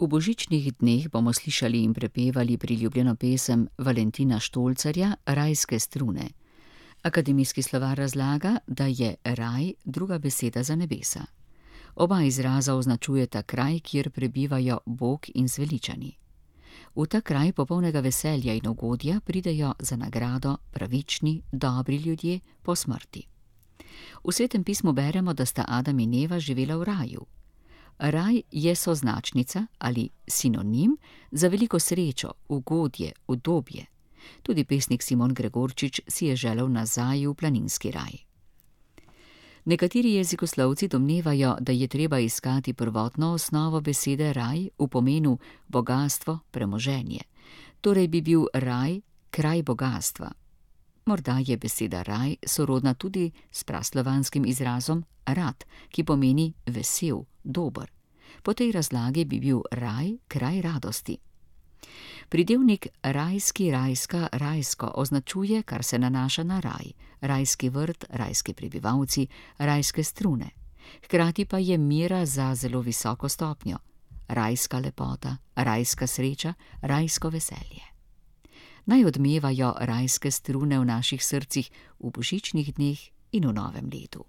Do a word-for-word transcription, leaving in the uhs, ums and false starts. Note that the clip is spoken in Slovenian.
V božičnih dneh bomo slišali in prepevali priljubljeno pesem Valentina Štolcarja Rajske strune. Akademijski slovar razlaga, da je raj druga beseda za nebesa. Oba izraza označujeta kraj, kjer prebivajo Bog in zveličani. V ta kraj popolnega veselja in ugodja pridejo za nagrado pravični, dobri ljudje po smrti. V Svetem pismu beremo, da sta Adam in Eva živela v raju. Raj je soznačnica ali sinonim za veliko srečo, ugodje, udobje. Tudi pesnik Simon Gregorčič si je želel nazaj v planinski raj. Nekateri jezikoslovci domnevajo, da je treba iskati prvotno osnovo besede raj v pomenu bogastvo, premoženje. Torej bi bil raj kraj bogastva. Morda je beseda raj sorodna tudi s praslovanskim izrazom rad, ki pomeni vesel, dober. Po tej razlagi bi bil raj kraj radosti. Pridevnik rajski, rajska, rajsko označuje, kar se nanaša na raj, rajski vrt, rajski prebivalci, rajske strune. Hkrati pa je mera za zelo visoko stopnjo, rajska lepota, rajska sreča, rajsko veselje. Naj odmevajo rajske strune v naših srcih v božičnih dneh in v novem letu.